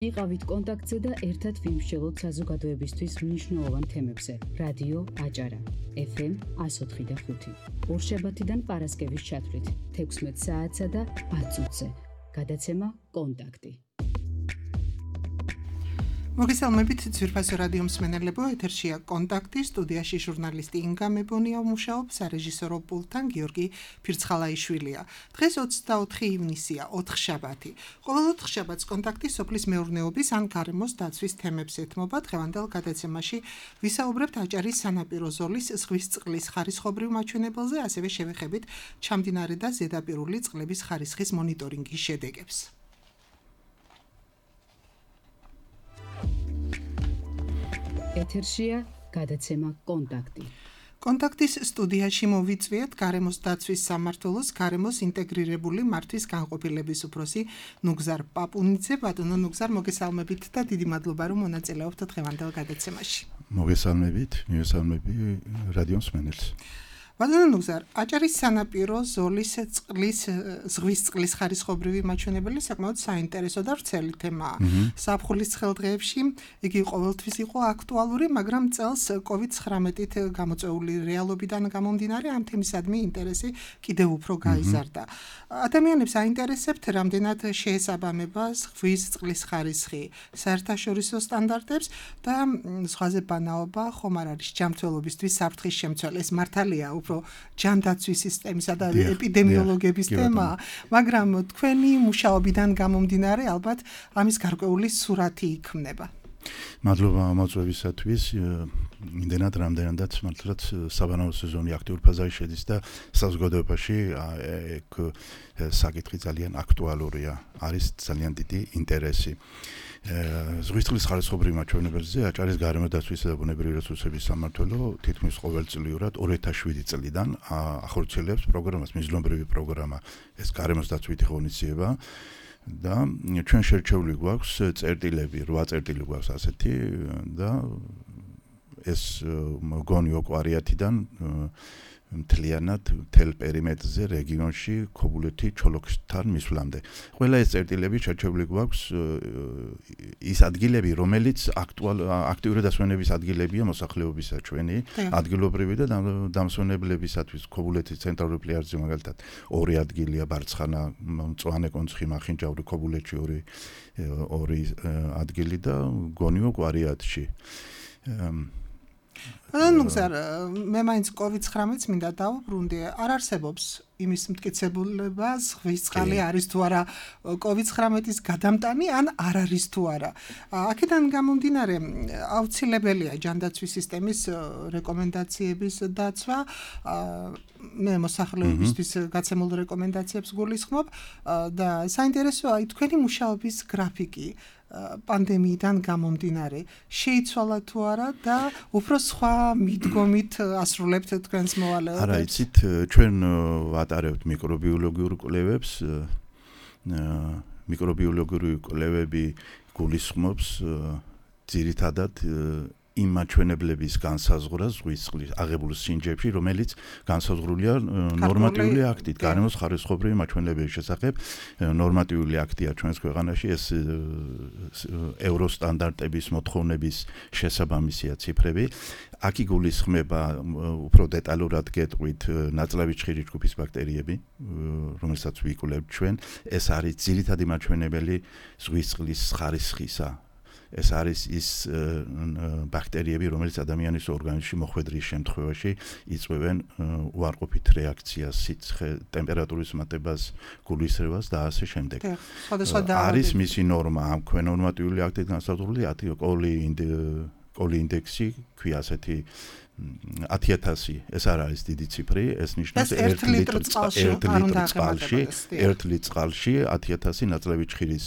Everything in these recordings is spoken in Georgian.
იყავით კონტაქტზე და ერთად ვიმსჯელოთ საზოგადოებისთვის მნიშვნელოვან თემებზე. რადიო აჭარა, FM 104.5. ორშაბათიდან პარასკევის ჩათვლით 16 საათსა და 10 წუთზე. გადაცემა კონტაქტი. მოგესალმებით ძვირფასო რადიო მსმენელებო, ეთერშია კონტაქტი, სტუდიაში ჟურნალისტი ინგა მებონია მუშაობს, სარეჟისორო პულტთან გიორგი ფირცხალაიშვილია. დღეს 24 ივნისია, ოთხშაბათი. ყოველ ოთხშაბათს კონტაქტი სოფლის მეურნეობის ან გარემოს დაცვის თემებს ეთმობა. დღევანდელ გადაცემაში ვისაუბრებთ აჭარის სანაპირო ზოლის ზღვის წყლის ხარისხობრივ მაჩვენებელზე, ასევე შევეხებით ჩამდინარე და ზედაპირული წყლების ხარისხის მონიტორინგის შედეგებს. ეთერშია გადაცემა კონტაქტი. კონტაქტის სტუდიაში მოვიწვიეთ გარემოს დაცვის სამმართველოს გარემოს ინტეგრირებული მართვის განყოფილების უფროსი ნუგზარ პაპუნიძე. ბატონო ნუგზარ, მოგესალმებით და დიდი მადლობა რომ მონაწილეობთ დღევანდელ გადაცემაში. მოგესალმებით, მივესალმები რადიო მსმენელს. ბატონო ნუგზარ, აჭარის სანაპირო ზოლის ზღვის წყლის ხარისხობრივი მაჩვენებელი საკმაოდ საინტერესო და ვრცელი თემაა. ზაფხულის ცხელდღეებში იგი ყოველთვის იყო აქტუალური, მაგრამ წელს COVID-19-ით გამოწვეული რეალობიდან გამომდინარე ამ თემისადმი ინტერესი კიდევ უფრო გაიზარდა. ადამიანებს აინტერესებთ, რამდენად შეესაბამება ზღვის წყლის ხარისხი საერთაშორისო სტანდარტებს და ზღვაზე ბანაობა ხომ არ არის ჯანმრთელობისთვის საფრთხის შემცველი. ეს მართალია ჯანდაცვის სისტემისა და ეპიდემიოლოგების თემაა, მაგრამ თქვენი მუშაობიდან გამომდინარე ალბათ ამის გარკვეული სურათი იქმნება. მადლობა მოწვევისათვის. იმდენად რამდენადაც მართლაც საბანაო სეზონი აქტიურ ფაზაში შედის და საზოგადოებაში ეგ საკითხი ძალიან აქტუალურია, არის ძალიან დიდი ინტერესი. ზღვის წყლის ხარისხობრივ მაჩვენებელზე აჭარის გარემოს დაცვისა და ბუნებრივი რესურსების სამმართველო თითქმის ყოველწლიურად 2007 წლიდან ახორციელებს პროგრამას, მიზნობრივი პროგრამა, ეს გარემოს დაცვითი ღონისძიება და ჩვენ შერჩეული გვაქვს წერტილები, 8 წერტილი გვაქვს ასეთი და ეს მგონი ოკვარიათიდან მთლიანად მთელ პერიმეტრზე რეგიონში ქობულეთი ჩოლოქისთან მისვლამდე. ყველა ეს წერტილები შერჩეული გვაქვს ის ადგილები, რომელიც აქტიური დასვენების ადგილებია მოსახლეობისა ჩვენი, ადგილობრივი და დამსვენებლებისათვის ქობულეთის ცენტრალური პლაჟზე მაგალითად 2 ადგილია, ბარცხანა, მწვანე კონცხი, მახინჯაური, ქობულეთში 2 ადგილი და გონიო კვარიათში. ნუგზარ, მე მაინც COVID-19-ს მინდა დავუბრუნდე, არ არსებობს იმის მტკიცებულება, ზღვის წყალი არის თუ არა COVID-19-ის გადამტანი, ან არ არის თუ არა. აქედან გამომდინარე, აუცილებელია ჯანდაცვის სისტემის რეკომენდაციების დაცვა. მე მოსახლეობისთვის გაცემულ რეკომენდაციებს გულისხმობ და საინტერესოა თქვენი მუშაობის გრაფიკი. პანდემიიდან გამომდინარე, შეიცვალა თუ არა და უფრო სხვა მიდგომით ასრულებთ თქვენს მოვალეობას? არა, იცით, ჩვენ ვატარებთ მიკრობიოლოგიურ კვლევებს. მიკრობიოლოგიური კვლევები გულისხმობს ძირითადად იმ მაჩვენებლების განსაზღვრას ზღვის წყლის აღებულ სინჯებში, რომელიც განსაზღვრულია ნორმატიული აქტით, გარემოს ხარისხობრივი მაჩვენებლების შესახებ. ნორმატიული აქტია ჩვენს ქვეყანაში, ეს ევროსტანდარტების მოთხოვნების შესაბამისია ციფრები. აქ იგულისხმება უფრო დეტალურად გეტყვით ნაწლავი ჩხირი ჯგუფის ბაქტერიები, რომელსაც ვიკვლევთ ჩვენ. ეს არის ძირითადი მაჩვენებელი ზღვის წყლის ხარისხისა. ეს არის ის ბაქტერიები, რომელიც ადამიანის ორგანიზმში მოხვედრის შემთხვევაში იწვევენ უარყოფით რეაქციას, სიცხე, ტემპერატურის მატებას, გულისრევას და ასე შემდეგ. არის მისი ნორმა, ამ ნორმატიული აქტით განსაზღვრული კოლი ინდექსი, ქვია ასეთი 10,000, ეს არ არის დიდი ციფრი, ეს ნიშნავს 1 ლიტრ წყალში 10,000 ნაწლავი ჩხირის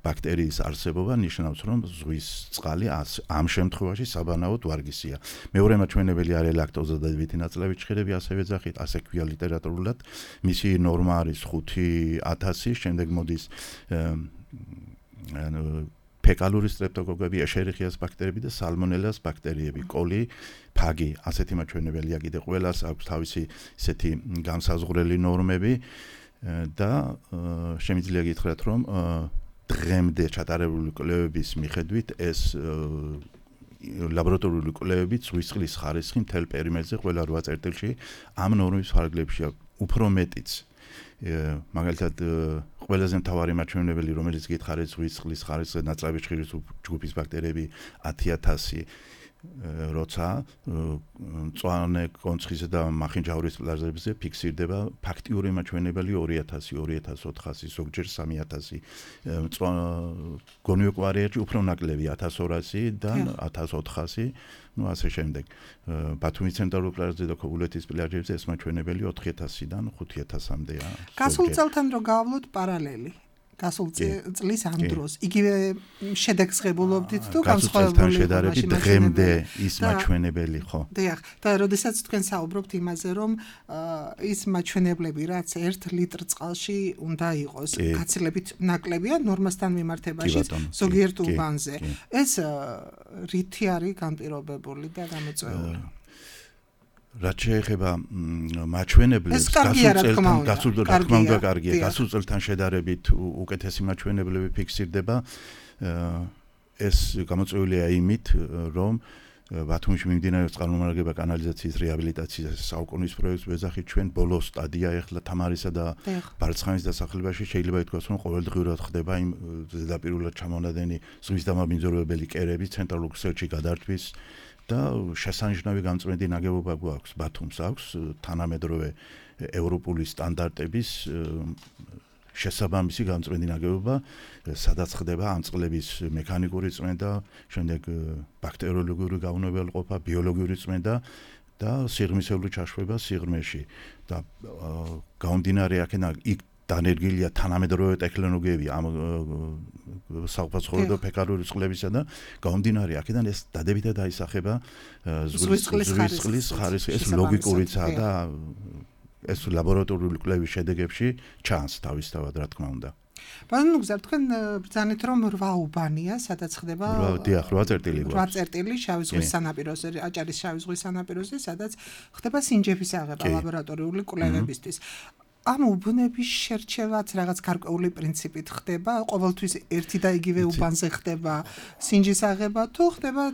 ბაქტერიის არსებობა ნიშნავს, რომ ზღვის წყალი ამ შემთხვევაში საბანაოდ ვარგისია. მეორე მაჩვენებელი არის ლაქტოზა და დავითი ნაწლავი ჩხირები, ასევე ეძახით, ასე ქვია ლიტერატურულად. მისი ნორმა არის 5,000, შემდეგ მოდის ფეკალური სტრეპტოკოკები, ეშერიხიას ბაქტერიები და სალმონელას ბაქტერიები, კოლი, ფაგი, ასეთი მაჩვენებელია კიდე ყველას აქვს თავისი ისეთი განსაზღვრელი ნორმები და შემიძლია გითხრათ, რომ დღემდე ჩატარებული კვლევების მიხედვით ეს ლაბორატორიული კვლევებით ზღვის წყლის ხარისხი მთელ პერიმეტრზე ყველა 8 წერტილში ამ ნორმის ფარგლებშია უფრო მეტიც. მაგალითად ყველაზე მთავარი მაჩვენებელი რომელიც გითხარით ზღვის წყლის ხარისხზე ნაწლავი ჭირის ჯგუფის ბაქტერიები 10000 როცა მწვანე კონცხისა და მახინჯაურის პლაზმებზე ფიქსირდება ფაქტიური მაჩვენებელი 2000, 2400, ზოგჯერ 3000. გონიოკვარიაში უფრო ნაკლები 1200-დან 1400, ну ასე შემდეგ. ბათუმის ცენტრალურ პლაჟზე და ქობულეთის პლაჟებზე ეს მაჩვენებელი 4000-დან 5000-მდეა. გასულ წელთან რო გავავლოთ პარალელი. გასულ წლის ამ დროს იგივე შედეგს ღებულობდით თუ განსხვავებული შედარებით დღემდე ის მაჩვენებელი ხო? დიახ, და როდესაც თქვენ საუბრობთ იმაზე რომ ის მაჩვენებლები რაც 1 ლიტრ წყალში უნდა იყოს გაცილებით ნაკლებია ნორმასთან მიმართებაში ზოგიერთ უბანზე. ეს რითი არის განპირობებული და გამოწვეული? რაც შეეხება მაჩვენებლებს გასულ წელთან შედარებით უკეთესი მაჩვენებლები ფიქსირდება ეს გამოწვეულია იმით რომ ბათუმში მიმდინარეობს წყალმომარაგება კანალიზაციის რეაბილიტაციის საუკუნის პროექტს ვეძახით ჩვენ ბოლო სტადია ეხლა თამარისა და ბარცხანის დასახლებაში შეიძლება ითქვას რომ ყოველდღიურად ხდება იმ ზედაპირულად ჩამონადენი ზღვის დამაბინძურებელი კერების ცენტრალურ ქსელში გადართვის და შესანიშნავი გამწვენდი ნაგებობა გვაქვს ბათუმს აქვს თანამედროვე ევროპული სტანდარტების შესაბამისი გამწვენდი ნაგებობა სადაც ხდება ამ წყლების მექანიკური წმენდა, შემდეგ ბაქტერიოლოგიური გაუნებელყოფა, ბიოლოგიური წმენდა და სიღრმისეული ჩაშვება სიღრმეში და გამომდინარე აქედან იქ დანერგილია თანამედროვე ტექნოლოგიები ამ საყოფაცხოვრებო ფექარული წყლებისა და გამომდინარე აქედან ეს დადებითად აისახება ზღვის წყლის ხარისხი ეს ლოგიკურიცაა და ეს ლაბორატორიული კვლევის შედეგებში ჩანს თავისთავად რა თქმა უნდა. ბანანუ გზა თქვენ ბრძანეთ რომ 8 უბანია სადაც ხდება 8 წერტილი 8 წერტილი შავი ზღვის სანაპიროზე აჭარის შავი ზღვის სანაპიროზე სადაც ხდება სინჯების აღება ლაბორატორიული კვლევებისთვის. ამ უბნების შერჩევაც რაღაც გარკვეული პრინციპით ხდება, ყოველთვის ერთი და იგივე უბანზე ხდება სინჯის აღება თუ ხდება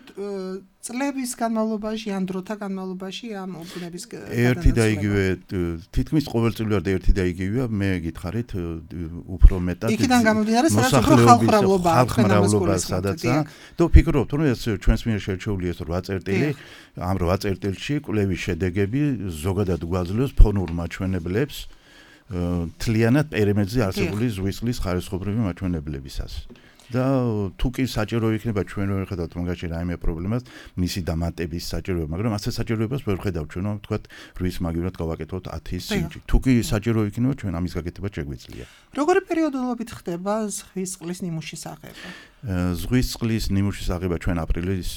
წლების განმავლობაში ან დროთა განმავლობაში ამ უბნების ერთი და იგივე თითქმის ყოველწლიურად ერთი და იგივეა მე გითხარით უფრო მეტად იქიდან გამომდინარე სადაც უფრო ხალხმრავლობა სადაცაა და ვფიქრობთ რომ ეს ჩვენს მიერ შერჩეული ეს 8 წერტილი ამ 8 წერტილში კვლევის შედეგები ზოგადად გვაძლევს ფონურ მაჩვენებლებს თლიანად პერიმეტრზე არსებული ზღვის წყლის ხარისხობრივი მაჩვენებლებისას. და თუ კი საჭირო იქნება ჩვენ ვერ ხედავთ მაგაში რაიმე პრობლემას, მისი დამატების საჭიროება, მაგრამ ასე საჭიროებას ვერ ხედავთ ჩვენ, ვთქვათ, რის მაგივრად გავაკეთოთ 10 სინჯი. თუ კი საჭირო იქნება, ჩვენ ამის გაკეთება შეგვიძლია. როგორი პერიოდულობით ხდება ზღვის წყლის ნიმუშის აღება? ზღვის წყლის ნიმუშის აღება ჩვენ აპრილის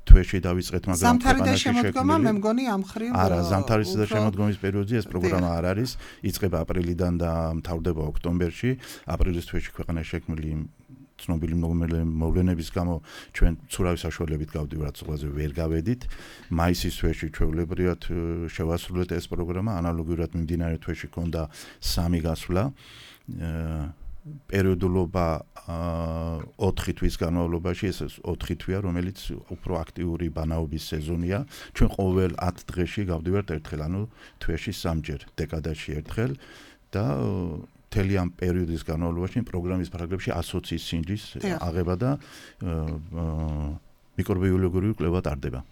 თვეში დავიწყეთ, მაგრამ ზამთარი და შემოდგომა მე მგონი ამ ხრივ არა, ზამთარის და შემოდგომის პერიოდში ეს პროგრამა არ არის, იწყება აპრილიდან და მთავრდება ოქტომბერში. აპრილის თვეში ქვეყანაში შექმნილი ცნობილი მოვლენების გამო ჩვენ ცურავი საშუალებით გავდივართ ზღვაზე ვერ გავედით. მაისის თვეში ჩვეულებრივად შევასრულეთ ეს პროგრამა, ანალოგიურად მიმდინარე თვეში ჰქონდა 3 გასვლა. პერიოდულობა 4 თვის განმავლობაში ეს 4 თვეა, რომელიც უფრო აქტიური ბანაობის სეზონია. ჩვენ ყოველ 10 დღეში გავდივართ ერთხელ, ანუ თვეში 3ჯერ, დეკადაში ერთხელ და მთელი ამ პერიოდის განმავლობაში პროგრამის ფარგლებში 120 სინჯის აღება და მიკრობიოლოგიური კვლევა ტარდება.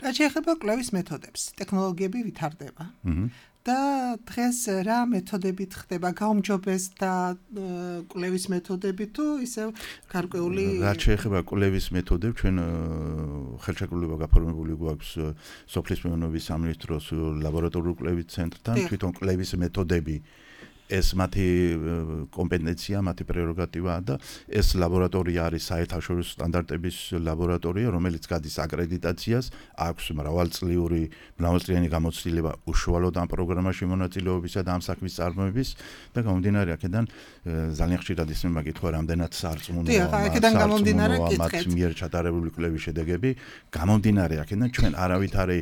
რა შეეხება კვლევის მეთოდებს, ტექნოლოგიები ვითარდება. და დღეს რა მეთოდებით ხდება გაუმჯობეს და კვლევის მეთოდები თუ ისევ გარკვეული რა შეეხება კვლევის მეთოდებს ჩვენ ხელშეკრულება გაფორმებული გვაქვს სოფლის მეურნეობის სამინისტროს ლაბორატორიული კვლევის ცენტრთან თვითონ კვლევის მეთოდები ეს მათი კომპეტენცია, მათი პრეროგატივაა და ეს ლაბორატორია არის საერთაშორისო სტანდარტების ლაბორატორია, რომელიც გადის აკრედიტაციას, აქვს მრავალწლიანი გამოცდილება უშუალოდ ამ პროგრამაში მონაწილეობისა და ამ საქმის წარმოების და გამომდინარე აქედან ძალიან ხშირად ისმება მაკითხვა, რამდენად სარწმუნოა მათ მიერ ჩატარებული კვლევის შედეგები, გამომდინარე აქედან ჩვენ არავითარი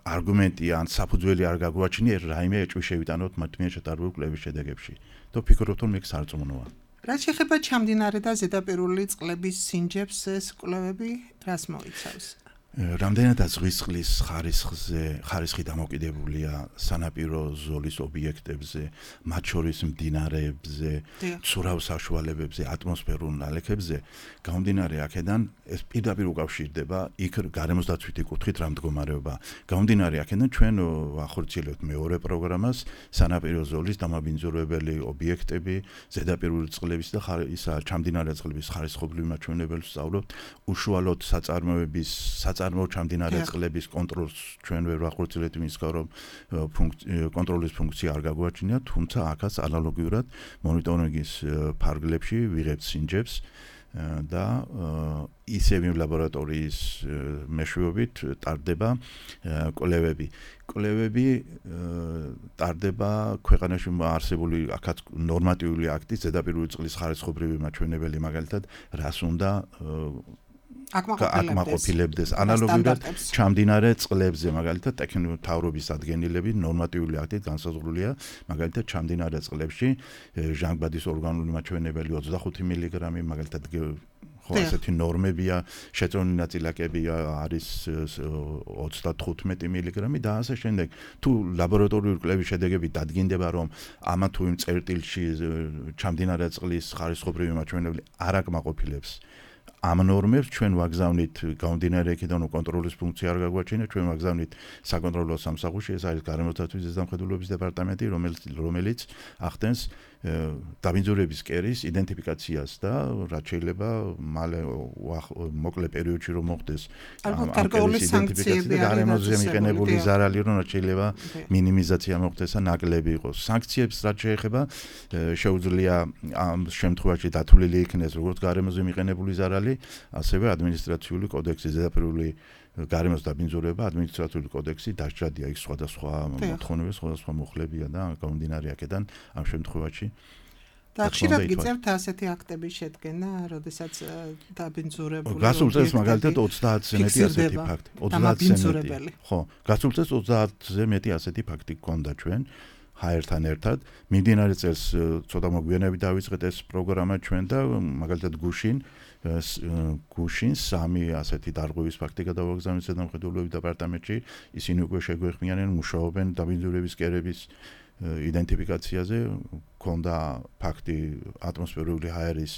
არგუმენტი ან საფუძველი არ გაგვაჩნია რაიმე ეჭვი შევიტანოთ მათ მიერ ჩატარებული კვლევის შედეგებში. და ვფიქრობთ, რომ ეს სარწმუნოა. რაც შეეხება ჩამდინარე და ზედაპირული წყლების სინჯებს, ეს კვლევები რას მოიცავს? რამდენადაც ზღვის წყლის ხარისხი დამოკიდებულია სანაპირო ზოლის ობიექტებზე, მათ შორის მდინარეებზე, ცურავ საშუალებებზე, ატმოსფერულ ნალექებზე, გამომდინარე აქედან ეს პირდაპირ უკავშირდება იქ გარემოს დაცვითი კუთხით რა მდგომარეობა. გამომდინარე აქედან ჩვენ ახორციელებთ მეორე პროგრამას სანაპირო ზოლის დამაბინძურებელი ობიექტები, ზედაპირული წყლების და ჩამდინარე წყლების ხარისხობრივი მაჩვენებელს ვსწავლობთ. უშუალოდ საწარმოო ჩამდინარე წყლების კონტროლს ჩვენ ვერ ვახორციელებთ იმის გამო, რომ კონტროლის ფუნქცია არ გაგვაჩნია, თუმცა აქაც ანალოგიურად მონიტორინგის ფარგლებში ვიღებთ სინჯებს და ისევ იმ ლაბორატორიის მეშვეობით ტარდება კვლევები. კვლევები ტარდება ქვეყანაში არსებული აქაც ნორმატიული აქტის ზედაპირული წყლის ხარისხობრივი მაჩვენებელი, მაგალითად, რას უნდა აკმაყოფილებდეს ანალოგიურად ჩამდინარე წყლებზე, მაგალითად ტექნიკური მთავრობის ადგენილები ნორმატიული აქტით განსაზღვრულია, მაგალითად ჩამდინარე წყლებში ჟანგბადის ორგანული მაჩვენებელი 25 მგ, მაგალითად ხო ასეთი ნორმებია, შეწონილი ნაწილაკებია არის 35 მგ და ასე შემდეგ. თუ ლაბორატორიული კვლევის შედეგები დადგინდება, რომ ამა თუ იმ წერტილში ჩამდინარე წყლის ხარისხობრივი მაჩვენებელი არ აკმაყოფილებს ამ ნორმებს, ჩვენ ვაგზავნით გამომდინარე იქიდან, რომ კონტროლის ფუნქცია არ გაგვაჩინა, ჩვენ ვაგზავნით საკონტროლო სამსახურში, ეს არის გარემოს დაცვის ზედამხედველობის დეპარტამენტი, რომელიც ახდენს დაბინძურების კერის იდენტიფიკაციას და რაც შეიძლება მალე მოკლე პერიოდში რომ მოხდეს გარკვეული სანქციები და გარემოზე მიყენებული ზარალი რომ რაც შეიძლება მინიმიზაცია მოხდეს და ნაკლები იყოს. სანქციებს რაც შეეხება შეუძლია ამ შემთხვევაში დათვლილი იქნეს როგორც გარემოზე მიყენებული ზარალი, ასევე ადმინისტრაციული კოდექსი ზედაპირული გარემოს დაბინძურება, ადმინისტრაციული კოდექსი დასჯადია, იქ სხვადასხვა მოთხოვნები, სხვადასხვა მოხლებია და გამომდინარე აქედან ამ შემთხვევაში და ხშირად გიწევთ ასეთი აქტების შედგენა, როდესაც დაბინძურებული გასულ წელს მაგალითად 30-ზე მეტი ასეთი ფაქტი, 30-ზე მეტი. ხო, გასულ წელს 30-ზე მეტი ასეთი ფაქტი გქონდა ჩვენ ჰაერთან ერთად. მიმდინარე წელს ცოტა მოგვიანებით დავიწყეთ ეს პროგრამა ჩვენ და მაგალითად გუშინ 3 ასეთი დარღვევის ფაქტი გადავაგზავნეთ ზედამხედველობის დეპარტამენტში. ისინი უკვე შეგვეხმიანენ, მუშაობენ დაბინძურების კერების იდენტიფიკაციაზე. ქონდა ფაქტი ატმოსფერული ჰაერის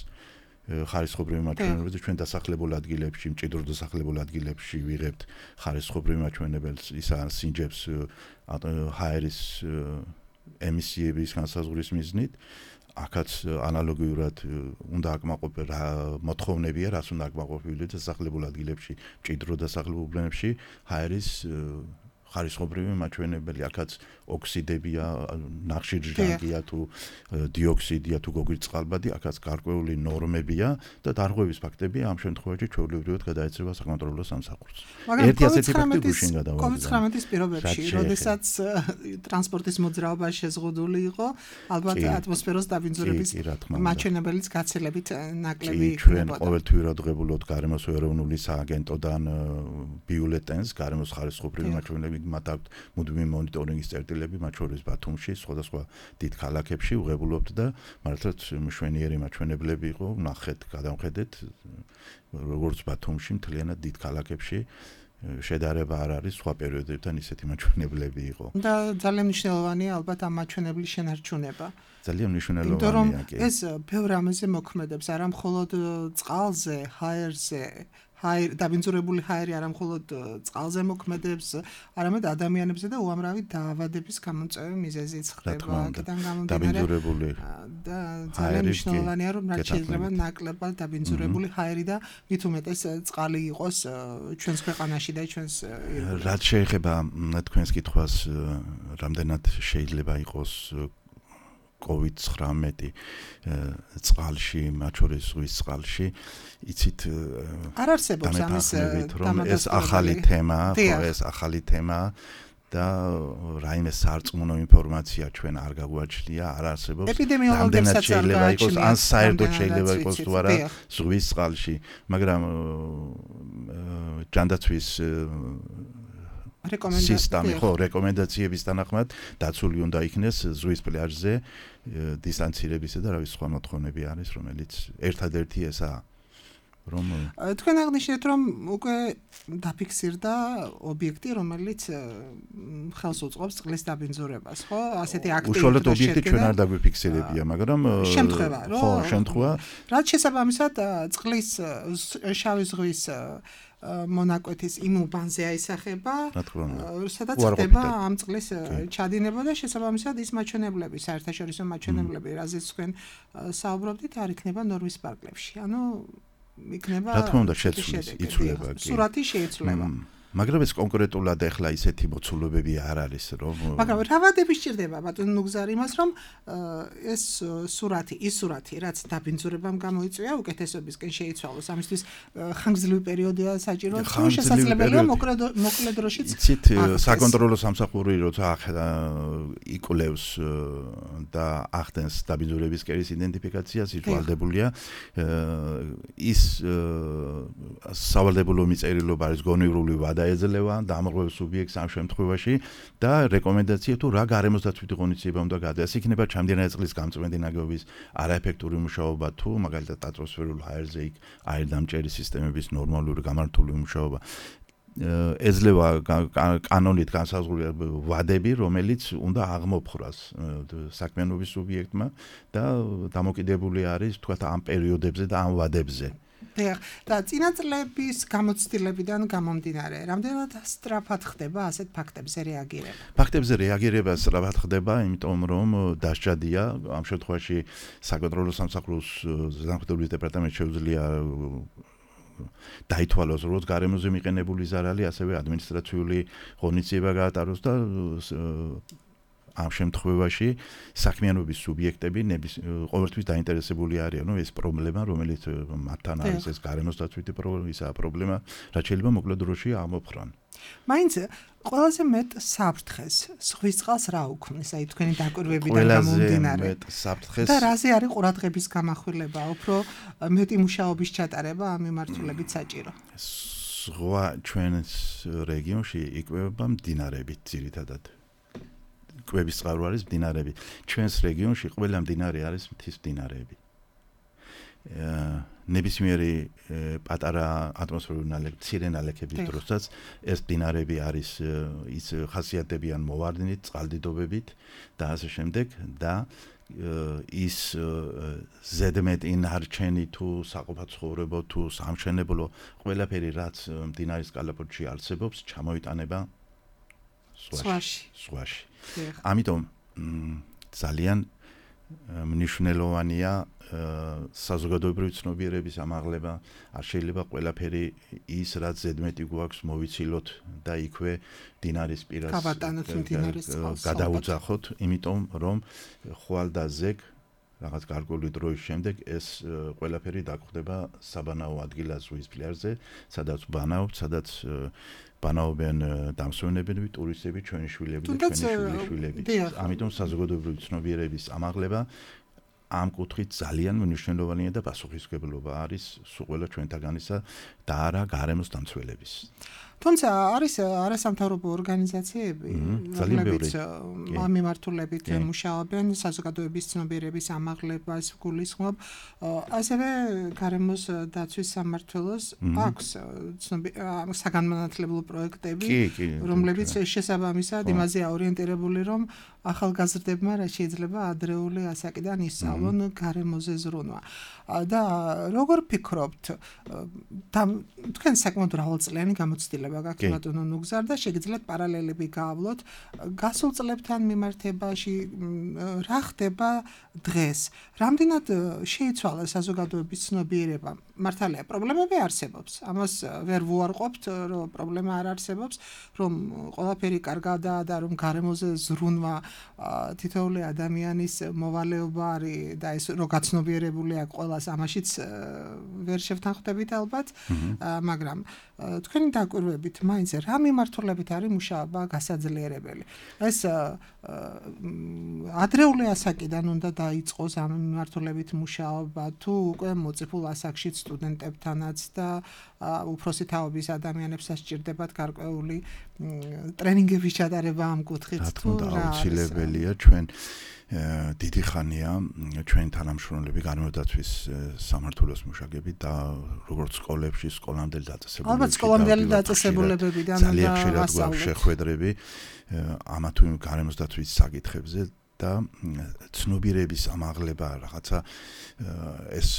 ხარისხობრივი მაჩვენებელზე, ჩვენ დასახლებულ ადგილებში, მჭიდრო დასახლებულ ადგილებში ვიღებთ ხარისხობრივი მაჩვენებელს, ისა სინჯებს ჰაერის ემისიების განსაზღვრის მიზნით. აქაც ანალოგიურად უნდა აკმაყოფილდეს მოთხოვნებია, რას უნდა აკმაყოფილდეს დასახლებულ ადგილებში, მჭიდრო დასახლებულ უბნებში ჰაერის ხარისხობრივი მაჩვენებელი, აქაც ოქსიდებია, ნახშირჟანგია თუ დიოქსიდია თუ გოგირდწყალბადი, აქაც გარკვეული ნორმებია და დარღვევის ფაქტები ამ შემთხვევაში ჩვეულებრივად გადაეცემა საკონტროლო სამსახურს. ერთი ასეთი ფაქტი გუშინ გადავაგზავნე. COVID-19-ის პირობებში, როდესაც ტრანსპორტის მოძრაობა შეზღუდული იყო, ალბათ ატმოსფეროს დაბინძურების მაჩვენებელიც გაცილებით ნაკლები იქნება. ჩვენ ყოველთვიურად ღებულობთ გარემოს ეროვნული სააგენტოდან ბიულეტენს, გარემოს ხარისხობრივი მაჩვენებლები, მათ აქვთ მუდმივი მონიტორინგის წერტილები, მათ შორის ბათუმში, სხვადასხვა დიდ ქალაქებში ვღებულობთ და მართლაც მშვენიერი მაჩვენებლები იყო, ნახეთ, გადავხედეთ, როგორც ბათუმში, მთლიანად დიდ ქალაქებში შედარება არ არის სხვა პერიოდებთან ისეთი მაჩვენებლები იყო. და ძალიან მნიშვნელოვანია ალბათ ამ მაჩვენებლის შენარჩუნება. ძალიან მნიშვნელოვანია კი. ეს ბევრ რამეზე მოქმედებს, არა მხოლოდ წყალზე, ჰაერზე, დაბინძურებული ჰაერი არა მხოლოდ წყალზე მოქმედებს, არამედ ადამიანებზე და უამრავი დაავადების გამომწვევი მიზეზიც ხდება. აქედან გამომდინარე და ძალიან მნიშვნელოვანია, რომ რაც შეიძლება ნაკლებად დაბინძურებული ჰაერი და მით უმეტეს წყალი იყოს ჩვენს ქვეყანაში და ჩვენს რაც შეეხება თქვენს კითხვას, რამდენად შეიძლება იყოს COVID-19 წყალში, მათ შორის ზღვის წყალში, იცით არ არსებობს ამის ეს ახალი თემა, ხო, ეს ახალი თემა და რაიმე სარწმუნო ინფორმაცია ჩვენ არ გაგვაჩნია, არ არსებობს. ეპიდემიოლოგებსაც შეიძლება იყოს, ან საერთოდ შეიძლება იყოს თუ არა ზღვის წყალში, მაგრამ ჯანდაცვის სისტემი, ხო, რეკომენდაციების თანახმად დაცული უნდა იქნეს ზღვის პლაჟზე დისტანცირებისა და რა ვიცი სხვა მოთხოვნები არის, რომელიც ერთადერთი ესაა. თქვენ აღნიშნეთ, რომ უკვე დაფიქსირდა ობიექტი, რომელიც ხელს უწყობს წყლის დაბინძურებას, ხო? ასეთი აქტივი უშუალოდ ობიექტი ჩვენ არ დაგვიფიქსირებია, მაგრამ შემთხვევა, რო ხო, შემთხვევა. რაც შესაბამისად წყლის შავი ზღვის მონაკვეთის იმ უბანზე აისახება, სადაც ხდება ამ წყლის ჩადინება და შესაბამისად ის მაჩვენებლები, საერთაშორისო მაჩვენებლები, რაზეც თქვენ საუბრობდით, არ იქნება ნორმის პარკლებში. ანუ იქნება რა თქმა უნდა შეცვლის იცვლება კი სურათი შეიცვლება მაგრამ ეს კონკრეტულად ახლა ისეთი მოცულობები არ არის რომ მაგრამ რა ვადები სჭირდება ბატონ ნუგზარ იმას რომ ეს სურათი რაც დაბინძურებამ გამოიწვია უკეთესობისკენ შეიცვალოს ამისთვის ხანგრძლივი პერიოდია საჭირო თუ შესაძლებელია მოკლე დროშიც იცით საკონტროლო სამსახური როცა იკვლევს და ახდენს დაბინძურების კერის იდენტიფიკაციას ითვალდებულია ის სავალდებულო მიწერილობა არის გონივრული ვადა ეძლევა დამრღვევ სუბიექტს ამ შემთხვევაში და რეკომენდაცია თუ რა გარემოსდაცვითი ღონისძიება უნდა გადაას იქნება ჩამდინარე წყლის გამწვენდი ნაგებობის არაეფექტური მუშაობა თუ მაგალითად ატმოსფერულ ჰაერზე იქ აირდამჭერი სისტემების ნორმალური გამართული მუშაობა ეძლევა კანონით განსაზღვრული ვადები რომელიც უნდა აღმოფხვრას საქმიანობის სუბიექტმა და დამოკიდებული არის თქვათ ამ პერიოდებზე და ამ ვადებზე და წინაწლების გამოცდილებიდან გამომდინარე, რამდენად სწრაფად ხდება ასეთ ფაქტებზე რეაგირება? ფაქტებზე რეაგირება სწრაფად ხდება, იმიტომ რომ დასჯადია, ამ შემთხვევაში საკონტროლო სამსახურის ზედამხედველობის დეპარტამენტს შეუძლია დაითვალოს როგორც გარემოზე მიყენებული ზარალი, ასევე ადმინისტრაციული ღონისძიება გაატაროს და ამ შემთხვევაში საქმიანობის სუბიექტები ყოველთვის დაინტერესებული არიან, რომ ეს პრობლემა, რომელიც მათთან არის ეს გარემოსდაცვითი პრობლემა, რაც შეიძლება მოკლე დროში აღმოფხრან. მაინც ყველაზე მეტ საფრთხეს ზღვის წყალს რა უქმნის, აი თქვენი დაკვირვებიდან გამომდინარე. ყველაზე მეტ საფრთხეს და რაზე არის ყურადღების გამახვილება, უფრო მეტი მუშაობის ჩატარება ამ მიმართულებით საჭირო. ზღვა ჩვენს რეგიონში იკვებება მდინარებით ძირითადად. კვების წყარო არის მდინარეები. ჩვენს რეგიონში ყველა მდინარე არის მთის მდინარეები. ნებისმიერი პატარა ატმოსფერული ნალექი, მცირე ნალექების დროსაც ეს მდინარეები არის ის ხასიათდებიან მოვარდნით, წყალდიდობებით და ასე შემდეგ და ის ზედმეტი ნარჩენი თუ საყოფაცხოვრებო თუ სამშენებლო ყველაფერი რაც მდინარის კალაპოტში არსებობს, ჩამოიტანება სვაში. ამიტომ ძალიან მნიშვნელოვანია საზოგადოებრივი ცნობიერების ამაღლება, არ შეიძლება ყველაფერი ის რაც ზედმეტი გვაქვს მოვიცილოთ და იქვე მდინარის პირას გადავუძახოთ, იმიტომ რომ ხვალ და ზეგ რაღაც გარკვეული დროის შემდეგ ეს ყველაფერი დაგხვდება საბანაო ადგილას ზღვის პლაჟზე, სადაც ბანაობთ, სადაც ბანაობენ დამსვენებლები, ტურისტები, ჩვენი შვილები და ჩვენი შვილები. ამიტომ საზოგადოებრივი ცნობიერების ამაღლება ამ კუთხით ძალიან მნიშვნელოვანია და პასუხისმგებლობა არის სულ ყველა ჩვენთაგანისა და არა გარემოს დამცველების. თუმცა არის არასამთავრობო ორგანიზაციები, რომლებიც ამ მიმართულებით მუშაობენ, საზოგადოების ცნობიერების ამაღლებას გულისხმობ, ასევე გარემოს დაცვის სამმართველოს აქვს საგანმანათლებლო პროექტები, რომლებიც შესაბამისად იმაზე აორიენტირებული, რომ ახალგაზრდებმა რა შეიძლება ადრეული ასაკიდან ისწავლონ გარემოზე ზრუნვა. და როგორ ფიქრობთ, თქვენ საკმაოდ მრავალწლიანი გამოცდილება გაქვთ ბატონო ნუგზარ და შეგიძლიათ პარალელები გაავლოთ გასულ წლებთან მიმართებაში რა ხდება დღეს რამდენად შეიცვალა საზოგადოების ცნობიერება მართალია პრობლემები არსებობს ამას ვერ ვუარყოფთ რომ პრობლემა არ არსებობს რომ ყველაფერი კარგადაა და რომ გარემოზე ზრუნვა თითოეული ადამიანის მოვალეობა არის და ეს რო გაცნობიერებული აქვს ყველას ამაშიც ვერ შევთანხმდებით ალბათ მაგრამ თქვენი დაკვირვებით მაინც რა მიმართულებით არის მუშაობა გასაძლიერებელი ეს ადრეული ასაკიდან უნდა დაიწყოს ამ მიმართულებით მუშაობა თუ უკვე მოწიფულ ასაკში სტუდენტებთანაც და უფროსი თაობის ადამიანებს სჭირდებათ გარკვეული ტრენინგების ჩატარება ამ კუთხით თუ რა აუცილებელია ჩვენ დიდი ხანია ჩვენ თანამშრომლები განმედაცვის სამმართველოს მუშაკები და როგორც სკოლებში სკოლამდელი დაწესებულებები ალბათ სკოლამდელი დაწესებულებებიდან ძალიან ხშირად გვაქვს შეხვედრები ამა თუ იმ გარემოსდაცვის საკითხებზე და ცნობიერების ამაღლება რაღაცა ეს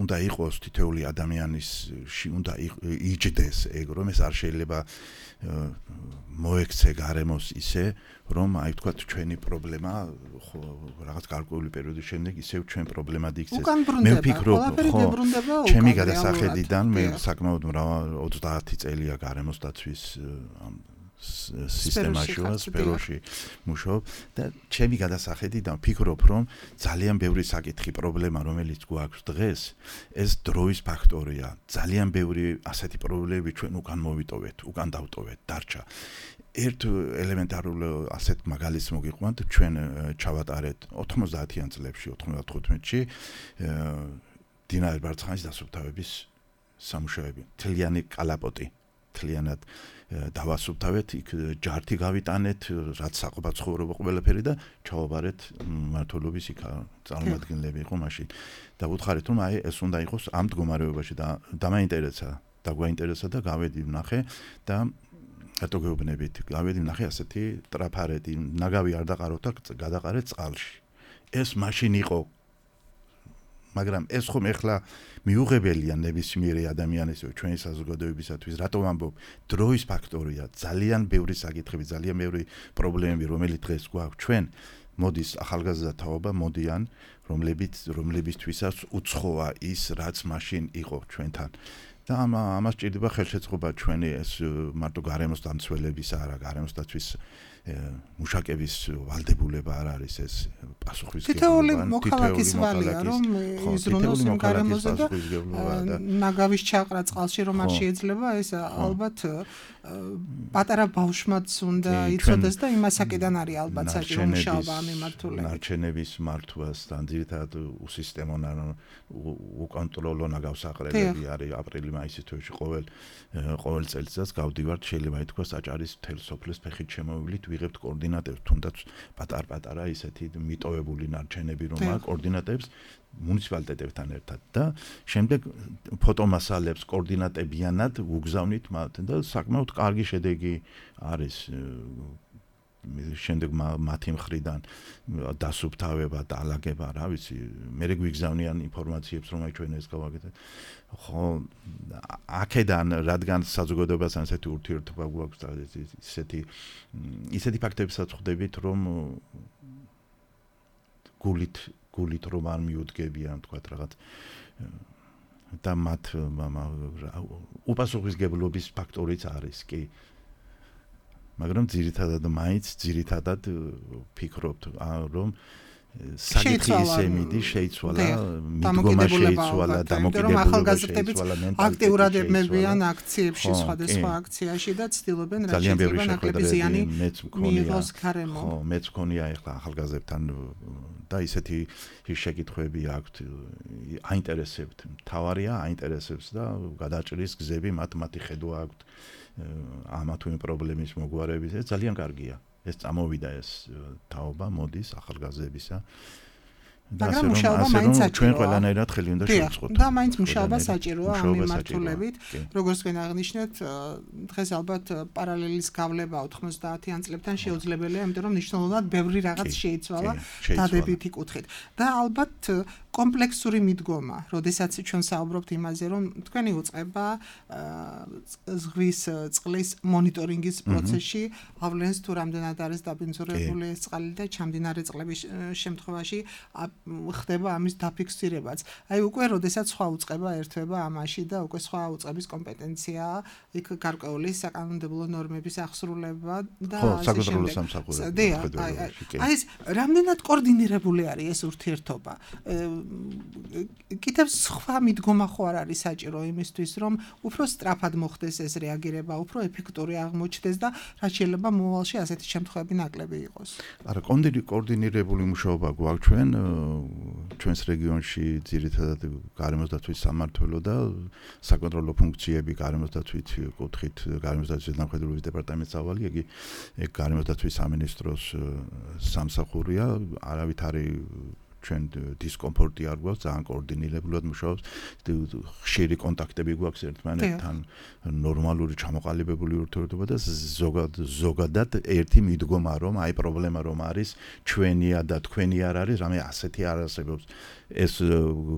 უნდა იყოს თითოეული ადამიანისში უნდა იჯდეს ეგ რომ ეს არ შეიძლება მოექცე გარემოს ისე რომ აი თქვა ჩვენი პრობლემა რაღაც გარკვეული პერიოდის შემდეგ ისევ ჩვენ პრობლემად იქცეს მე ვფიქრობ ხო ჩემი გადასახედიდან მე საკმაოდ 30 წელია გარემოსდაცვის სისტემაში სფეროში მუშაობ და ჩემი გადასახედიდან ვფიქრობ რომ ძალიან ბევრი საკითხი პრობლემა რომელიც გვაქვს დღეს ეს დროის ფაქტორია ძალიან ბევრი ასეთი პრობლემები ჩვენ უკან მოვიტოვეთ უკან დავტოვეთ დარჩა ერთ ელემენტარულ ასეთ მაგალითს მოგიყვანთ ჩვენ ჩავატარეთ 90-იან წლებში 95-ში დინარ ბარცხანის დასუფთავების სამუშაოები თლიანი კალაპოტი თლიანად დავასუფთავეთ იქ ჯართი გავიტანეთ რაც საყოფა ცხოვრება ყველაფერი და ჩავაბარეთ მმართველობის იქ წარმომადგენლები იყო მაშინ და ვუთხარით რომ აი ეს უნდა იყოს ამ მდგომარეობაში და დაგვაინტერესა და გავედი ვნახე და რატო გეუბნებით გავედი ვნახე ასეთი ტრაფარეთი ნაგავი არ დაყაროთ და გადაყარეთ წყალში ეს მაშინ იყო მაგრამ ეს ხომ ეხლა მიუღებელია ნებისმიერი ადამიანის ჩვენი საზოგადოებისათვის რატომ ამბობ დროის ფაქტორია ძალიან ბევრი საკითხები ძალიან ბევრი პრობლემები რომელიც დღეს გვაქვს ჩვენ მოდის ახალგაზრდა თაობა მოდიან რომლებისთვისაც უცხოა ის რაც მაშინ იყო ჩვენთან და ამას ჭირდება ხელშეწყობა ჩვენი ეს მარტო გარემოს დამცველების არა გარემოსდაცვის მუშაკების ვალდებულება არ არის ეს პასუხისმგებლობა თითოეული მოქალაქის ვალია რომ იზრუნოს იმ გარემოზე და ნაგავის ჩაყრა წყალში რომ არ შეიძლება ეს ალბათ პატარა ბავშვმაც უნდა იცოდეს და იმასაკიდან არის ალბათ საჭირო მუშაობა ამ მიმართულებით ნარჩენების მართვასთან ძირითადად უსისტემო უკონტროლო ნაგავსაყრელები არის აპრილი-მაისის თვეში ყოველ წელიწადს გავდივართ შეიძლება ითქვას აჭარის მთელ სოფლის ფეხით შემოვივლით ვიღებთ კოორდინატებს თუნდაც პატარ-პატარა ისეთი მიტოვებული ნარჩენები რომ აქვს კოორდინატებს მუნიციპალიტეტებთან ერთად და შემდეგ ფოტომასალებს კოორდინატებიანად უგზავნით მათ და საკმაოდ კარგი შედეგი არის შემდეგ მათი მხრიდან დასუფთავება და ალაგება რა ვიცი მე გვიგზავნიან ინფორმაციებს რომ აი ჩვენ ეს გავაკეთეთ ხო აქედან რადგან საზოგადოებასთან ესეთი ურთიერთობა გვაქვს და ისეთი ფაქტებსაც ხვდებით რომ გულით რომ არ მიუდგებიან თქვათ რაღაც და მათ უპასუხისმგებლობის ფაქტორიც არის კი მაგრამ ძირითადად ფიქრობთ რომ საკითხი ისე მიდის შეიცვალა მიდგომა შეიცვალა დამოკიდებულება შეიცვალა აქტიურად ემებიან აქციებში სხვადასხვა აქციაში და ცდილობენ რა შეიძლება ნაკლები ზიანი მიიღოს გარემო ხო მეც მქონია ახლა ახალგაზრდებთან და ისეთი შეკითხვები აქვთ აინტერესებთ თავარია აინტერესებს და გადაჭრის გზები მათი ხედვა აქვთ ამა თუ იმ პრობლემის მოგვარების ეს ძალიან კარგია ეს წამოვიდა ეს თაობა მოდის ახალგაზრდებისა მაგრამ მუშაობა მაინც საჭიროა ჩვენ ყველანაირად ხელი უნდა შევწყოთ და მაინც მუშაობა საჭიროა ამ მიმართულებით როგორც თქვენ აღნიშნეთ დღეს ალბათ პარალელის გავლება 90-იან წლებთან შეუძლებელია იმიტომ რომ მნიშვნელოვნად ბევრი რაღაც შეიცვალა დადებითი კუთხით და ალბათ კომპლექსური მიდგომა როდესაც ჩვენ საუბრობთ იმაზე რომ თქვენი უწყება ზღვის წყლის მონიტორინგის პროცესში ავლენს თუ რამდენად არის დაბინძურებული ეს წყალი და ჩამდინარე წყლების შემთხვევაში ხდება ამის დაფიქსირებაც. აი უკვე როდესაც სხვა უწყება ერთვება ამაში და უკვე სხვა უწყების კომპეტენციაა იქ გარკვეული საკანონმდებლო ნორმების აღსრულება და ასე შემდეგ. აი ეს რამდენად კოორდინირებული არის ეს ურთიერთობა? კიდევ სხვა მიდგომა ხო არ არის საჭირო იმისთვის, რომ უფრო სწრაფად მოხდეს ეს რეაგირება, უფრო ეფექტური აღმოჩნდეს და რაც შეიძლება მომავალში ასეთი შემთხვევები ნაკლები იყოს. არა, კოორდინირებული მუშაობა გვაქვს ჩვენს რეგიონში ძირითადად გარემოს დაცვის სამმართველო და საკონტროლო ფუნქციები გარემოს დაცვით კუთხით გარემოს დაცვის დამხედრების დეპარტამენტს ავალი, იგი გარემოს დაცვის სამინისტროს სამსახურია, არავითარი ჩვენ დისკომფორტი არ გვაქვს, ძალიან კოორდინირებულად მუშაობს, ხშირი კონტაქტები გვაქვს ერთმანეთთან, ნორმალური ჩამოყალიბებული ურთიერთობა და ზოგადად ერთი მიდგომა, რომ აი პრობლემა რომ არის, ჩვენია და თქვენი არ არის, რამე ასეთი არ არსებობს. ეს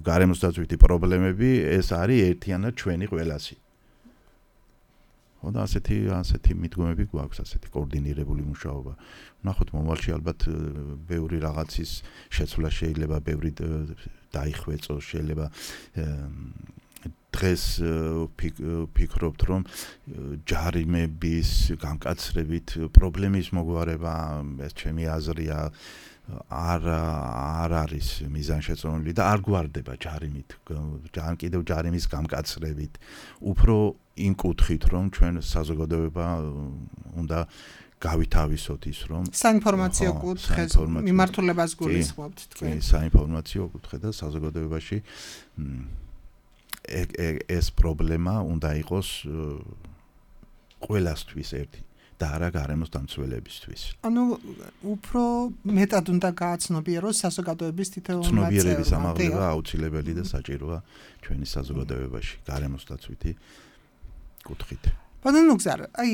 გარემოს დაცვითი პრობლემები, ეს არის ერთიანად ჩვენი ყველასი. და ასეთი მიდგომები გვაქვს, ასეთი კოორდინირებული მუშაობა. ნახოთ მომავალში ალბათ ბევრი რაღაცის შეცვლა შეიძლება, ბევრი დაიხვეწოს, შეიძლება დღეს ფიქრობთ, რომ ჯარიმების გამკაცრებით პრობლემის მოგვარება, ეს ჩემი აზრია, არ არის მიზანშეწონილი და არ გვარდება ჯარიმით, კიდევ ჯარიმის გამკაცრებით, უფრო იმ კუთხით, რომ ჩვენ საზოგადოება უნდა გავითავისოთ ის, რომ საინფორმაციო კუთხეს მიმართულებას გულისხმობთ თქვენ. საინფორმაციო კუთხე და საზოგადოებაში ეს პრობლემა უნდა იყოს ყველასთვის ერთი. და არა გარემოს დამცველებისთვის. ანუ უფრო მეტად უნდა გააცნობიეროს საზოგადოების თითოეული წევრი. ცნობიერების ამაღლება აუცილებელი და საჭიროა ჩვენი საზოგადოებაში გარემოს დაცვითი კუთხით. ბატონო გზარ, აი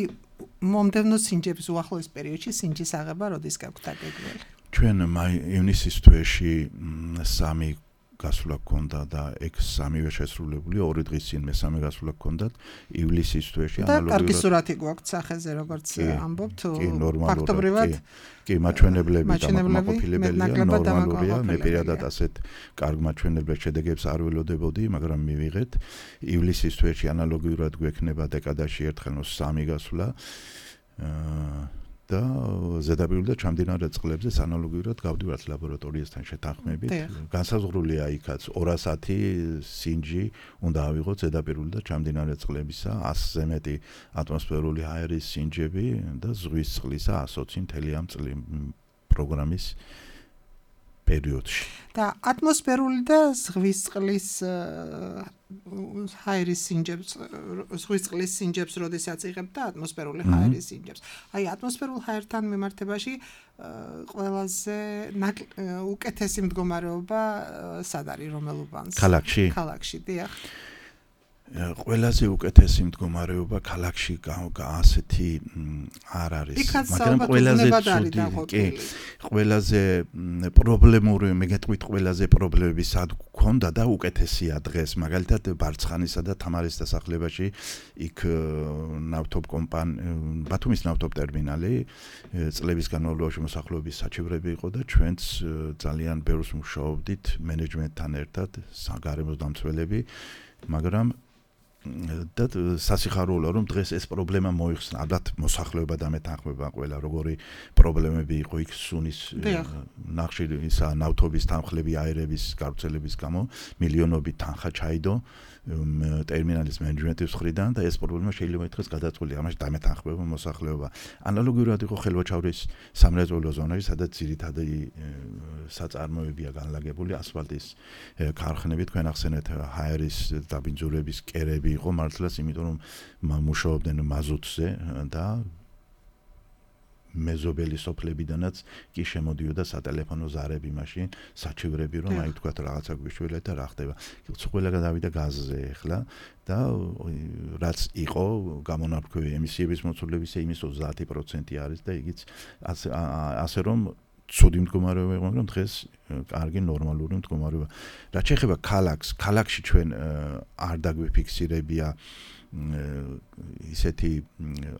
მომდევნო სინჯების უახლოეს პერიოდში სინჯის აღება როდის გაქვთ დაგეგმილი? ჩვენ ივნისის თვეში 3 გასვლა გქონდა და ეგ 3-ვე შესრულებული, 2 დღის წინ მესამე გასვლა გქონდათ ივლისის თვეში ანალოგიურად. და კარგი სურათი გვაქვთ სახეზე, როგორც ამბობთ, ფაქტობრივად კი, მაჩვენებლები დამაკმაყოფილებელია, ნორმალურია, მე პირადად ასეთ კარგ მაჩვენებელ შედეგებს არ ველოდებოდი, მაგრამ მივიღეთ. ივლისის თვეში ანალოგიურად გვექნება დეკადაში ერთხელ 3 გასვლა. და ზედაპირული და ჩამდინარე წყლებზე ანალოგიურად გავდივართ ლაბორატორიასთან შეთანხმებით. განსაზღვრულია იქაც 210 სინჯი უნდა ავიღოთ ზედაპირული და ჩამდინარე წყლებისა, 100-ზე მეტი ატმოსფერული ჰაერის სინჯები და ზღვის წყლისა 120 მთელი ამ პროგრამის პერიოდში. და ატმოსფერული და ზღვის წყლის ჰაერის სინჯებს, ზღვის წყლის სინჯებს როდესაც იღებთ და ატმოსფერული ჰაერის სინჯებს. აი ატმოსფერულ ჰაერთან მიმართებაში ყველაზე უკეთესი მდგომარეობა სად არის, რომელ უბანს? ქალაქში. ქალაქში, დიახ. ყველაზე უკეთესი მდგომარეობა ქალაქში ასეთი არ არის, მაგრამ ყველაზე პრობლემური, მეგეთყვით ყველაზე პრობლემები სად გქონდა და უკეთესია დღეს, მაგალითად ბარცხანისა და თამარის დასახლებაში, იქ ბათუმის ნავთობ ტერმინალი, წლების განმავლობაში მოსახლეობის საჩივრები იყო და ჩვენც ძალიან ბევრს მუშაობდით მენეჯმენტთან ერთად, გარემოს დამცველები, მაგრამ და სასიხარულოა რომ დღეს ეს პრობლემა მოიხსნა. ალბათ მოსახლეობა დამეთანხმება ყველა როგორი პრობლემები იყო იქ სუნის ნახშირი ისა ნავთობის თანხლები აერების გავრცელების გამო მილიონობით თანხა ჩაიდო ტერმინალის მენეჯმენტის მხრიდან და ეს პრობლემა შეიძლება ითქვას გადაწყვეტილი, ამაში დამეთანხმება მოსახლეობა. ანალოგიურად იყო ხელვაჩავრის სამრეწველო ზონაში, სადაც ძირითადი საწარმოებია განლაგებული ასფალტის ქარხნები, თქვენ ახსენეთ ჰაერის დაბინძურების კერები იყო მართლაც, იმიტომ რომ მუშაობდნენ მაზუტზე და მეზობელი სოფლებიდანაც კი შემოდიოდა სატელეფონო ზარები მაშინ, საჩივრები, რომ აი თქვათ რაღაცა გვიშველეთ და რა ხდება. ყველა გადავიდა გაზზე ახლა და რაც იყო გამონაბქვევი ემისიების მოცულებისა იმის 30% არის და იგიც ასე რომ ცუდი მდგომარეობა იყო, მაგრამ დღეს კარგი ნორმალური მდგომარეობა. რაც შეეხება ქალაქში ჩვენ არ დაგვიფიქსირებია ისეთი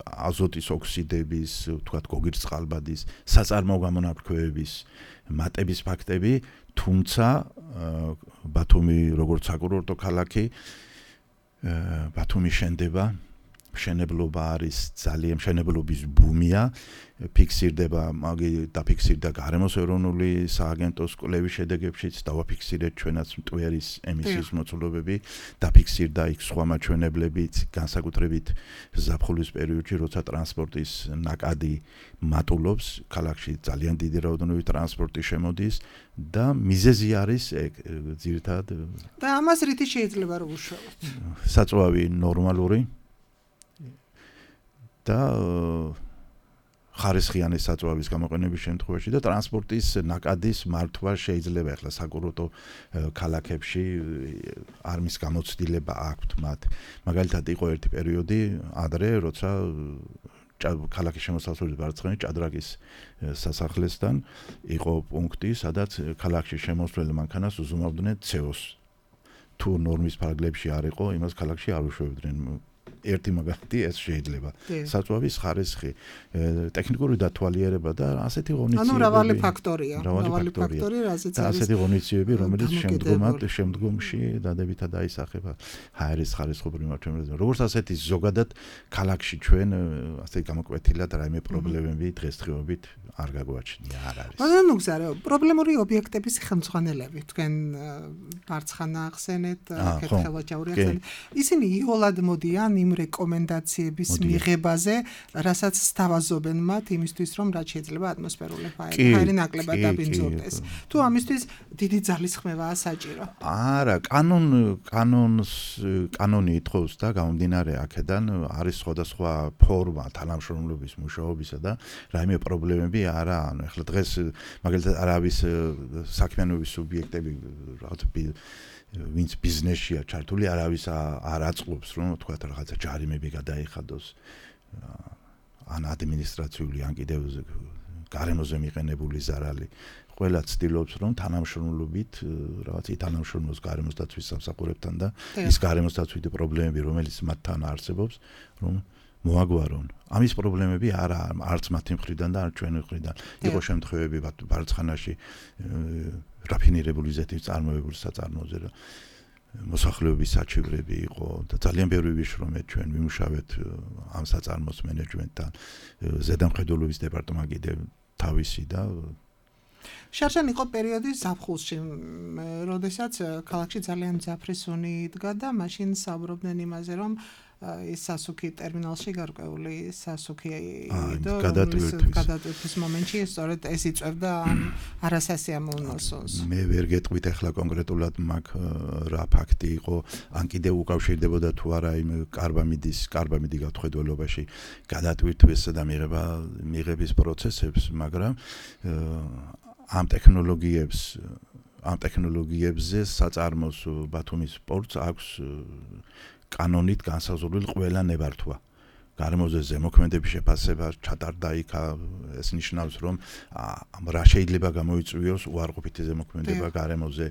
აზოტის ოქსიდების, თქვათ გოგირწყალბადის, საწარმოო გამონაბქვევების მატების ფაქტები, თუმცა ბათუმი როგორც საკურორტო ქალაქი, ბათუმი შენდება მშენებლობა არის ძალიან მშენებლობის ბუმია ფიქსირდება დაფიქსირდა გარემოს ეროვნული სააგენტოს კვლევის შედეგებშიც დავაფიქსირეთ ჩვენაც მტვერის ემისიის მოცულობები დაფიქსირდა იქ სხვა მაჩვენებლებიც განსაკუთრებით ზაფხულის პერიოდში როცა ტრანსპორტის ნაკადი მატულობს ქალაქში ძალიან დიდი რაოდენობით ტრანსპორტი შემოდის და მიზეზი არის ძირითადად და ამას რითი შეიძლება რომ უშუალოთ საწვავი ნორმალური და ხარისხიანი საწვავის გამოყენების შემთხვევაში და ტრანსპორტის ნაკადის მართვა შეიძლება ახლა საკურორტო ქალაქებში არმის გამოცდილება აქვთ მათ მაგალითად იყო ერთი პერიოდი ადრე როცა ქალაქის შემოსასვლელის მარცხენა ჭადრაკის სასახლესთან იყო პუნქტი სადაც ქალაქში შემოსვლელ მანქანას უზუმავდნენ CO-ს თუ ნორმის ფარგლებში არ იყო იმას ქალაქში არ უშვებდნენ ერთი მაგალითი ეს შეიძლება საწვავის ხარისხი ტექნიკური დათვალიერება და ასეთი ღონისძიებები ანუ მრავალი ფაქტორია რაზეც არის ასეთი ღონისძიებები რომელიც შემდგომში დადებითად აისახება ჰაერის ხარისხობრივ მაჩვენებლებზე როგორც ასეთი ზოგადად ქალაქში ჩვენ ასე გამოკვეთილად რაიმე პრობლემები დღესდღეობით არ გაგვაჩნია არ არის ანუ გზარო პრობლემური ობიექტების ხელმძღვანელები თქვენ მარცხანა ახსენეთ კეთილაჭაური ახსენეთ ისინი იოლად მოდიან იმ რეკომენდაციების მიღებაზე, რასაც სთავაზობენ მათ იმისთვის, რომ რაც შეიძლება ატმოსფერული ჰაერი ნაკლებად დაბინძურდეს. თუ ამისთვის დიდი ძალისხმევაა საჭირო. არა, კანონი ითხოვს და გამომდინარე აქედან არის სხვადასხვა ფორმა თანამშრომლობის მუშაობისა და რაიმე პრობლემები არა, ანუ ახლა დღეს მაგალითად არავის საქმიანობის სუბიექტები რაღაც ვინც ბიზნესშია ჩართული არავის არ აწყობს რომ თქვა რაღაცა ჯარიმები გადაიხადოს ან ადმინისტრაციული ან კიდევ გარემოზე მიყენებული ზარალი ყველა ცდილობს რომ თანამშრომლობით რაღაც თანამშრომლობს გარემოსდაცვის სამსახურებთან და ის გარემოსდაცვითი პრობლემები რომელიც მათთან არსებობს რომ მოაგვარონ ამის პრობლემები არც მათი მხრიდან და არც ჩვენი მხრიდან იყო შემთხვევები ბარცხანაში რაფინირებული ზეთის წარმოებული საწარმოზე მოსახლეობის საჩივრები იყო და ძალიან ბევრი ვიშრომეთ ჩვენ ვიმუშავეთ ამ საწარმოს მენეჯმენტთან ზედამხედველობის დეპარტამენტი კიდევ თავისი და შარშან იყო პერიოდი ზაფხულში, როდესაც ქალაქში ძალიან მძაფრი სუნი იდგა და მაშინ საუბრობდნენ იმაზე, რომ ის სასუქი ტერმინალში გარკვეული სასუქი და გადატვირთვის მომენტში სწორედ ეს იწევდა არასასიამოვნო სუნს. მე ვერ გეტყვით ახლა კონკრეტულად მაგ რა ფაქტი იყო, ან კიდევ უკავშირდებოდა თუ არა იმ კარბამიდი გათხოველობაში გადატვირთვისა და მიღების პროცესებს, მაგრამ ამ ტექნოლოგიებზე საწარმოს ბათუმის პორტს აქვს კანონით განსაზღვრული ყველა ნებართვა. გარემოზე ზემოქმედების შეფასება ჩატარდა იქ ეს ნიშნავს რომ რა შეიძლება გამოიწვიოს უარყოფითი ზემოქმედება გარემოზე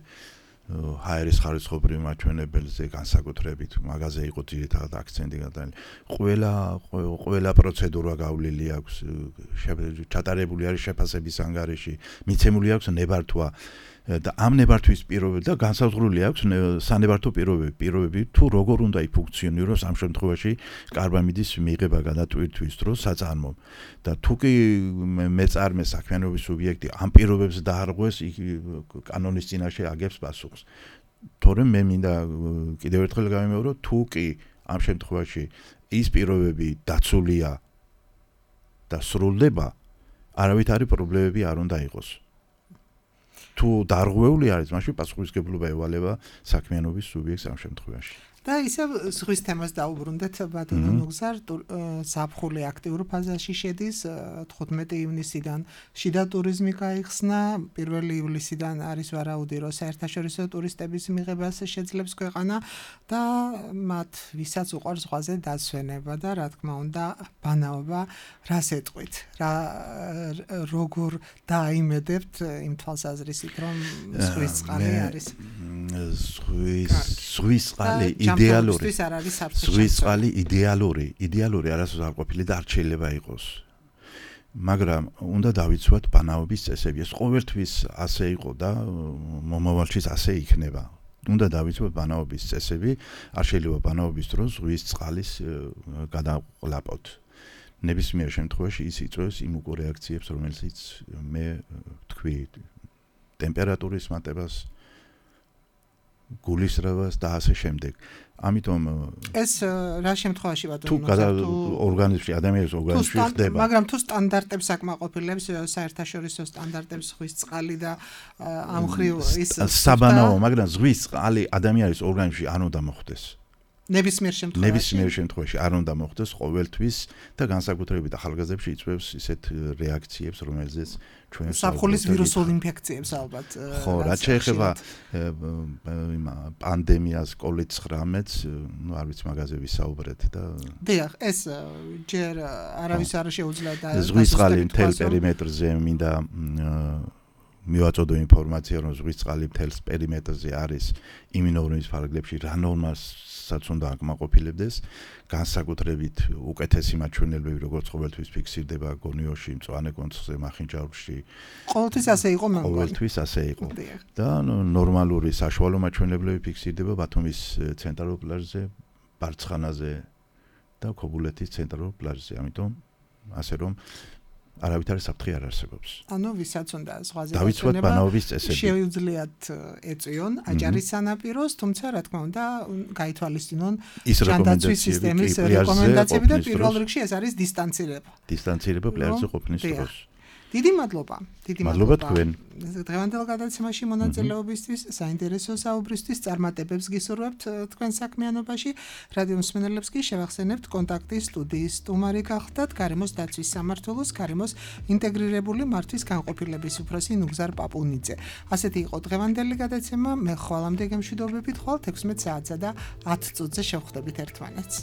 ჰაერის ხარისხობრივ მაჩვენებელზე განსაკუთრებით მაგაზე იყო ძირითადად აქცენტი გადაყენილი. ყველა პროცედურა გავლილი აქვს ჩატარებული არის შეფასების ანგარიში მიცემული აქვს ნებართვა და ამ ნებართვის პირობები და განსაზღვრული აქვს სანებართო პირობები თუ როგორ უნდა იფუნქციონიროს ამ შემთხვევაში კარბამიდის მიღება გადატვირთვის დროს საწარმომ და თუ კი მეწარმე საქმიანობის სუბიექტი ამ პირობებს დაარღვეს კანონის წინაშე აგებს პასუხს თორემ მე მინდა კიდევ ერთხელ გამიმეორო თუ კი ამ შემთხვევაში ის პირობები დაცულია და სრულდება არავითარი პრობლემები არ უნდა იყოს თუ დარღვეული არის, მაშინ პასუხისმგებლობა ევალება საქმიანობის სუბიექტს ამ შემთხვევაში. და ისევ ზღვის თემას დაუბრუნდეთ ბატონო ნუგზარ ზაფხული აქტიურ ფაზაში შედის 15 ივნისიდან შიდა ტურიზმი გაიხსნა 1 ივლისიდან არის ვარაუდი რომ საერთაშორისო ტურისტების მიღებას შეძლებს ქვეყანა და მათ ვისაც უყვარს ზღვაზე დასვენება და რა თქმა უნდა ბანაობა რას ეტყვით როგორ დაიმედებთ იმ თვალსაზრისით რომ ზღვის წყალი არის ზღვის წყალი იდეალური ზღვის წყალი იდეალური არასოდეს არ ყოფილი და არ შეიძლება იყოს მაგრამ უნდა დავიცვათ ბანაობის წესები ეს ყოველთვის ასე იყო და მომავალშიც ასე იქნება უნდა დავიცვათ ბანაობის წესები, არ შეიძლება ბანაობის დროს ზღვის წყალის გადაყლაპოთ. ნებისმიერ შემთხვევაში ის იწვევს იმ უკვე რეაქციებს, რომელიც მე თქვი, ტემპერატურის მატებას, გულისრევას და ასე შემდეგ. ამიტომ ეს რა შემთხვევაში თუ ორგანიზმში, ადამიანის ორგანიზმში ხდება. მაგრამ თუ სტანდარტებს აკმაყოფილებს, საერთაშორისო სტანდარტებს ზღვის წყალი და ამ მხრივ ის საბანაო, მაგრამ ზღვის წყალი ადამიანის ორგანიზმში არ უნდა მოხდეს. ნებისმიერ შემთხვევაში არ უნდა მოხდეს ყოველთვის და განსაკუთრებით ახალგაზრდებში იწვევს ისეთ რეაქციებს, რომელზეც ჩვენ საფხულის ვირუსულ ინფექციებს ალბათ. ხო, რაც შეეხება პანდემიას, COVID-19-ს, არ ვიცი, მაგაზე ვისაუბრეთ და დიახ, ეს ჯერ არავის არ შეუძლია და ზღვის წყალი მთელ პერიმეტრზე მინდა მივაწოდო ინფორმაცია, რომ ზღვის წყალი მთელ პერიმეტრზე არის იმინორმის ფარგლებში რა ნორმასაც უნდა აკმაყოფილებდეს, განსაკუთრებით უკეთესი მაჩვენებები, როგორც ყოველთვის ფიქსირდება გონიოში, მწვანე კონცხზე, მახინჯაურში. ყოველთვის ასე იყო მეგონი. ყოველთვის ასე იყო. და ნორმალური საშუალო მაჩვენებლები ფიქსირდება ბათუმის ცენტრალურ პლაჟზე, ბარცხანაზე და ქობულეთის ცენტრალურ პლაჟზე. ამიტომ ასე რომ არავითარი საფრთხე არ არსებობს. ანუ ვისაც უნდა ზღვაზე დავიცვათ ბანაობის წესები. შეუძლიათ ეწვიონ აჭარის სანაპიროს, თუმცა რა თქმა უნდა, გაითვალისწინონ ის სისტემის რეკომენდაციები და პირველ რიგში ეს არის დისტანცირება. დისტანცირება პლაჟზე ყოფნის დროს. დიდი მადლობა. მადლობა თქვენ. დღევანდელ გადაცემაში მონაწილეობისთვის, საინტერესო საუბრისთვის წარმატებებს გისურვებთ თქვენ საქმიანობაში. რადიო მსმენელებს კი შევახსენებთ კონტაქტის სტუდიის სტუმარი გახდათ გარემოს დაცვის სამმართველოს გარემოს ინტეგრირებული მართვის განყოფილების უფროსი ნუგზარ პაპუნიძე. ასეთი იყო დღევანდელი გადაცემა. მე ხვალამდე გემშვიდობებით ხვალ 16 საათსა და 10 წუთზე შევხვდებით ერთმანეთს.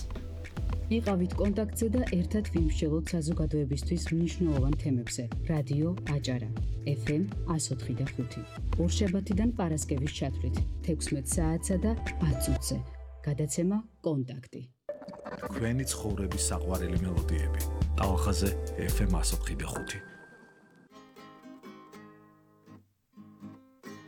იყავით კონტაქტზე და ერთად ვიმსჯელოთ საზოგადოებისთვის მნიშვნელოვან თემებზე. რადიო აჭარა FM 104.5. ორშაბათიდან პარასკევის ჩათვლით 16 საათსა და 10 წუთზე. გადაცემა კონტაქტი. თქვენი ცხოვრების საყვარელი მელოდიები. ტალახაზე FM 104.5.